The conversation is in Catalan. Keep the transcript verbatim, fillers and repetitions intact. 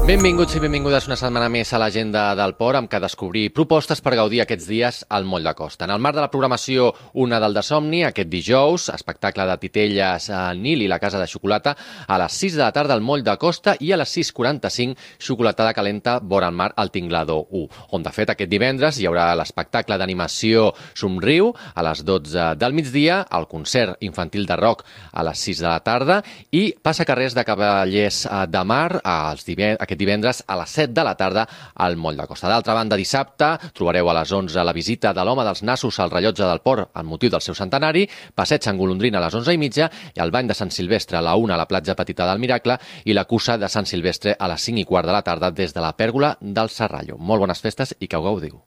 Benvinguts i benvingudes una setmana més a l'agenda del Port, amb què descobrir propostes per gaudir aquests dies al Moll de Costa. En el marc de la programació Una del de Somni, aquest dijous, espectacle de titelles a Nil i la Casa de Xocolata, a les sis de la tarda al Moll de Costa i a les sis quaranta-cinc xocolatada calenta vora el mar al Tinglador u, on de fet aquest divendres hi haurà l'espectacle d'animació Somriu a les dotze del migdia, el concert infantil de rock a les sis de la tarda i passacarrers de Cavallers de Mar als divendres, aquest divendres a les set de la tarda al Moll de Costa. D'altra banda, dissabte trobareu a les onze la visita de l'Home dels Nassos al rellotge del Port amb motiu del seu centenari, passeig en golondrina a les onze i mitja i el bany de Sant Silvestre a la una a la platja petita del Miracle i la cursa de Sant Silvestre a les cinc i quart de la tarda des de la pèrgola del Serrallo. Molt bones festes i que ho gaudiu.